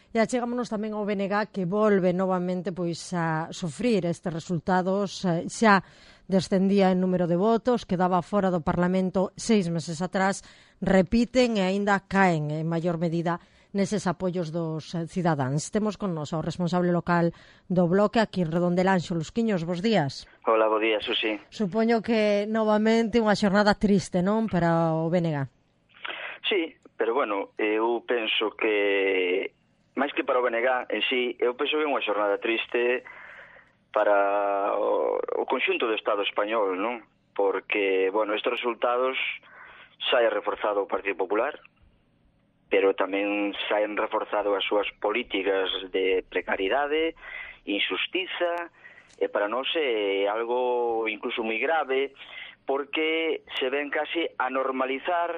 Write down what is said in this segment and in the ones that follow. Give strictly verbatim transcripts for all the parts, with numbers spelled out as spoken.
E achegámonos tamén ao B N G que volve novamente pois a sofrir estes resultados. Xa descendía en número de votos, quedaba fora do Parlamento seis meses atrás, repiten e aínda caen en maior medida neses apoios dos cidadáns. Temos con nos ao responsable local do Bloque aquí en Redondela, Anxo Lusquiños. Bos días. Hola, bo día, Susi. Supoño que novamente unha xornada triste, non, para o B N G? Sí, pero bueno, eu penso que máis que para o B N G en sí, eu penso que é unha xornada triste para o, o conxunto do Estado español, non? Porque, bueno, estes resultados sae reforzado o Partido Popular, pero tamén saen reforzado as súas políticas de precariedade, injustiza, e para nós é algo incluso moi grave, porque se ven casi a normalizar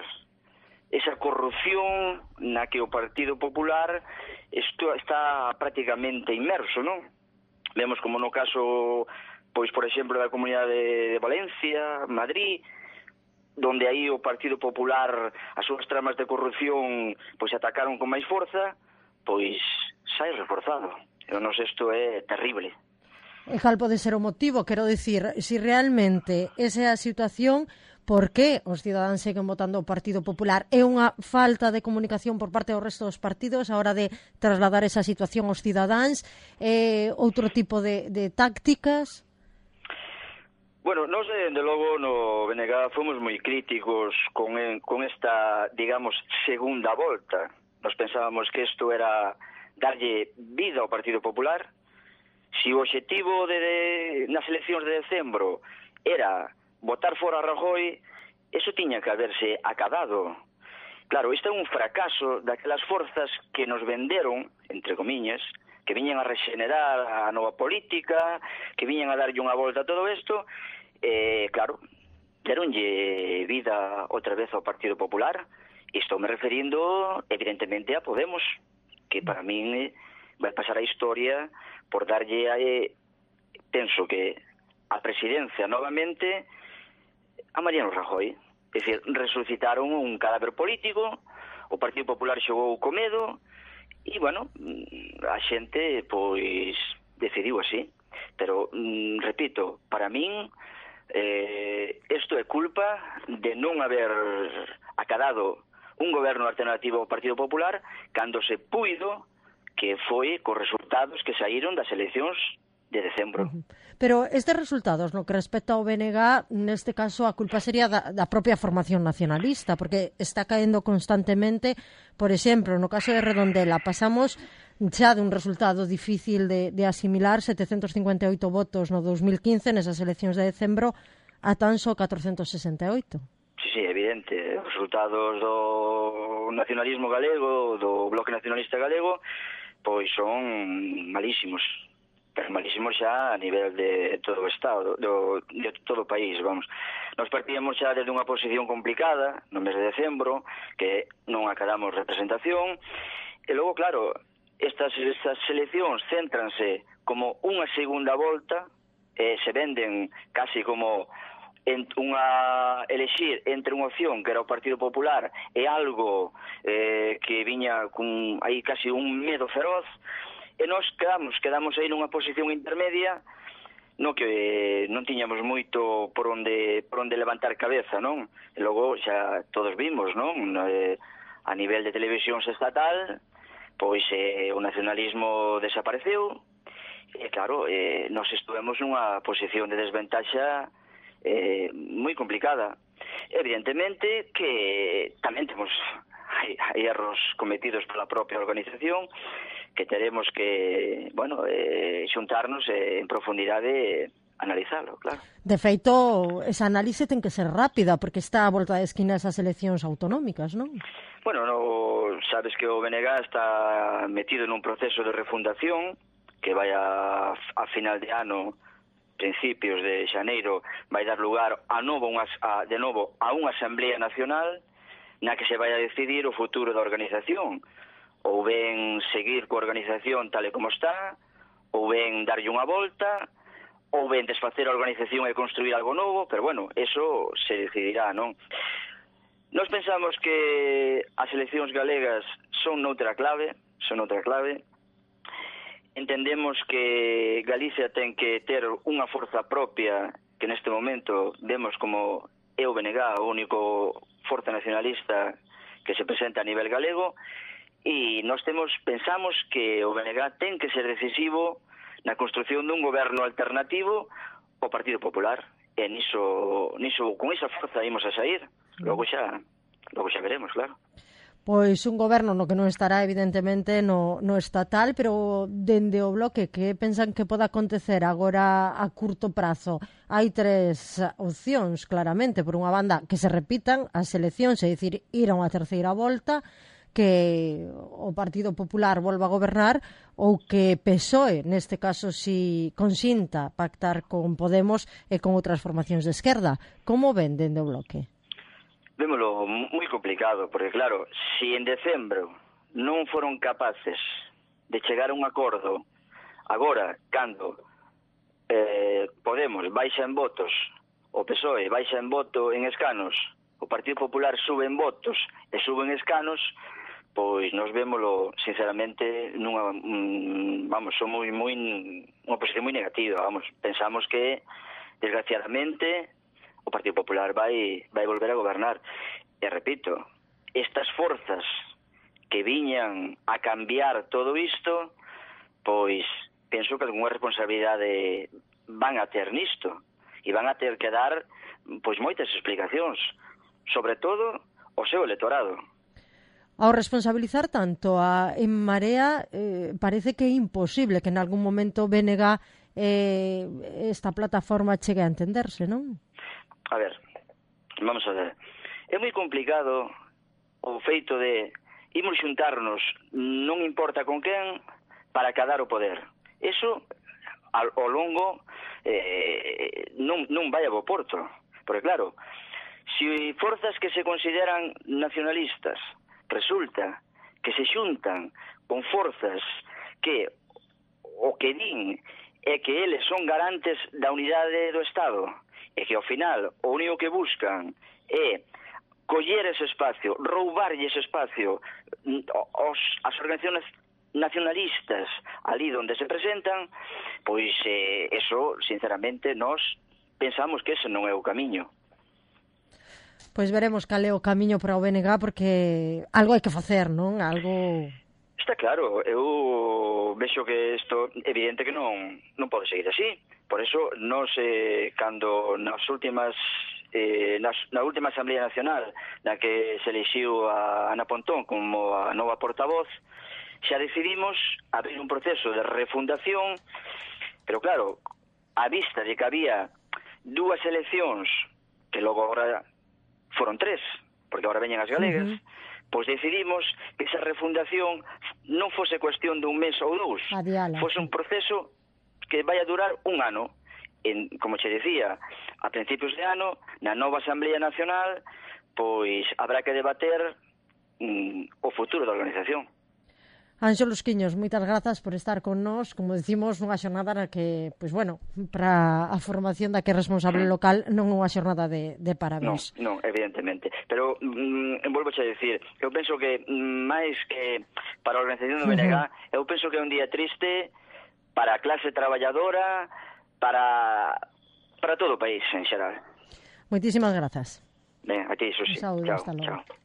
esa corrupción na que o Partido Popular isto está prácticamente inmerso, non? Vemos como no caso, pois, por exemplo, da Comunidade de Valencia, Madrid, donde aí o Partido Popular, as súas tramas de corrupción, pois atacaron con máis forza, pois sai reforzado. Eu non sei, isto é terrible. E cal pode ser o motivo? Quero dicir, se si realmente esa é a situación, por que os cidadáns seguen votando o Partido Popular? É unha falta de comunicación por parte do resto dos partidos a hora de trasladar esa situación aos cidadáns? É outro tipo de, de tácticas? Bueno, nós, de logo, no B N G fomos moi críticos con, con esta, digamos, segunda volta. Nos pensábamos que isto era darlle vida ao Partido Popular. Si o objetivo de, de, nas eleccións de decembro era votar fora a Rajoy, eso tiña que haberse acabado. Claro, isto é un fracaso daquelas forzas que nos venderon, entre comiñas, que viñan a regenerar a nova política, que viñan a darlle unha volta a todo isto, e, claro, deronlle vida outra vez ao Partido Popular. Estou me referindo, evidentemente, a Podemos, que para min vai pasar a historia por darlle a, eh, penso que a presidencia novamente a Mariano Rajoy. É dicir, resucitaron un cadáver político, o Partido Popular xogou co medo, e, bueno, a xente, pois, decidiu así. Pero, mm, repito, para min, eh, isto é culpa de non haber acadado un goberno alternativo ao Partido Popular cando se puido, que foi cos resultados que saíron das eleccións de decembro. Pero estes resultados, no que respecta ao B N G, neste caso a culpa sería da, da propia formación nacionalista, porque está caendo constantemente. Por exemplo, no caso de Redondela, pasamos xa de un resultado difícil de, de asimilar, setecentos cincuenta e oito votos no dos mil quince, nesas eleccións de decembro, a tan só catrocentos sesenta e oito. Sí, sí, evidente. Os resultados do nacionalismo galego, do Bloque Nacionalista Galego, pois son malísimos. Pero malísimos xa a nivel de todo o Estado, do, de todo o país, vamos. Nos partíamos xa desde unha posición complicada, no mes de decembro, que non acadamos representación, e logo, claro, estas, estas seleccións céntranse como unha segunda volta, e se venden casi como en unha elexir entre unha opción que era o Partido Popular e algo eh, que viña con aí casi un medo feroz, e nós quedamos, quedamos aí nunha posición intermedia no que non tiñamos moito por onde por onde levantar cabeza, non? E logo xa todos vimos, non? A nivel de televisións estatal, pois eh, o nacionalismo desapareceu, e claro, eh, nós estuvemos nunha posición de desventaxa eh, moi complicada. Evidentemente que tamén temos hai, hai erros cometidos pola propia organización, que teremos que, bueno, eh, xuntarnos eh, en profundidade e analizalo, claro. De feito, esa análise ten que ser rápida, porque está a volta de esquina esas eleccións autonómicas, non? Bueno, no, sabes que o B N G está metido nun proceso de refundación que vai a, a final de ano, principios de xaneiro, vai dar lugar a novo, unha, a, de novo a unha Asamblea Nacional na que se vai a decidir o futuro da organización. Ou ben seguir coa organización tal e como está, ou ben darlle unha volta, ou ben desfacer a organización e construir algo novo, pero bueno, eso se decidirá, non? Nós pensamos que as eleccións galegas son noutra clave, noutra clave. Entendemos que Galicia ten que ter unha forza propia, que neste momento vemos como é o B N G, o único forza nacionalista que se presenta a nivel galego, e nós temos, pensamos que o B N G ten que ser decisivo na construción dun goberno alternativo ao Partido Popular, e niso, niso con esa forza imos a sair. Logo xa, logo xa veremos, claro. Pois un goberno no que non estará evidentemente no, no estatal, pero dende o Bloque, que pensan que pode acontecer agora a curto prazo? Hai tres opcións, claramente. Por unha banda, que se repitan as eleccións, é dicir, ir a unha terceira volta, que o Partido Popular volva a gobernar, ou que P S O E, neste caso, si consinta pactar con Podemos e con outras formacións de esquerda. Como ven dende o Bloque? Vémolo moi complicado, porque claro, si en decembro non foron capaces de chegar a un acordo, agora, cando eh, Podemos baixa en votos, o P S O E baixa en voto en escanos, o Partido Popular sube en votos e sube en escanos, pois nos vémolo, sinceramente, nunha, mm, vamos, son moi, moi, unha posición moi negativa, vamos, pensamos que, desgraciadamente, o Partido Popular vai vai volver a gobernar. E repito, estas forzas que viñan a cambiar todo isto, pois penso que algunha responsabilidade van a ter nisto, e van a ter que dar pois moitas explicacións, sobre todo o seu electorado. Ao responsabilizar tanto a En Marea, eh, parece que é imposible que en algún momento B N G eh, esta plataforma chegue a entenderse, non? A ver, vamos a ver. É moi complicado o feito de imos xuntarnos, non importa con quen, para cadar o poder. Eso, ao, ao longo, eh, non, non vai a bo porto. Porque claro, se forzas que se consideran nacionalistas resulta que se xuntan con forzas que o que din é que eles son garantes da unidade do Estado, e que ao final o único que buscan é coller ese espacio, roubarlle ese espacio aos, as organizacións nacionalistas ali onde se presentan, pois eh, eso, sinceramente, nós pensamos que ese non é o camiño. Pois veremos cal é o camiño para o B N G, porque algo hai que facer, non? Algo... Está claro, eu vexo que isto evidente que non non pode seguir así. Por eso, nos, eh, cando nas últimas, eh, nas, na última Asamblea Nacional, na que se elixiu a Ana Pontón como a nova portavoz, xa decidimos abrir un proceso de refundación, pero claro, a vista de que había dúas eleccións, que logo agora foron tres, porque agora veñen as galegas, uh-huh. Pois decidimos que esa refundación non fose cuestión dun mes ou dous, Adiala. Fose un proceso que vai a durar un ano. En, como che decía, a principios de ano, na nova Asamblea Nacional, pois habrá que debater mm, o futuro da organización. Anxo Lusquiños, moitas grazas por estar con nós, como decimos, nunha xornada na que, pois bueno, para a formación da que é responsable local non é unha xornada de, de parabéns. Non, non, evidentemente. Pero, mm, volvo a decir, eu penso que máis que para a organización do B N G, uh-huh. eu penso que é un día triste para a clase traballadora, para para todo o país en xeral. Moitísimas grazas. Ben, a ti, Susi. Un saúdo, chao, hasta logo. Chao.